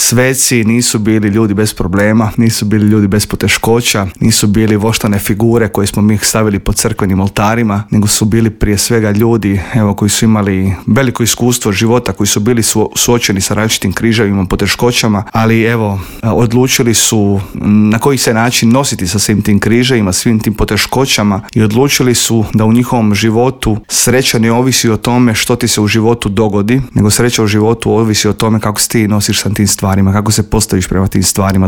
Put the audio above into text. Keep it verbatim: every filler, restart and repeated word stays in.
sveci nisu bili ljudi bez problema, nisu bili ljudi bez poteškoća, nisu bili voštane figure koje smo mi stavili po crkvenim oltarima, nego su bili prije svega ljudi, evo, koji su imali veliko iskustvo života, koji su bili su, suočeni sa različitim križevima, poteškoćama, ali evo, odlučili su na koji se način nositi sa svim tim križevima, svim tim poteškoćama i odlučili su da u njihovom životu sreća ne ovisi o tome što ti se u životu dogodi, nego sreća u životu ovisi o tome kako se ti nosiš sa tim stvarima, kako se postaviš prema tim stvarima.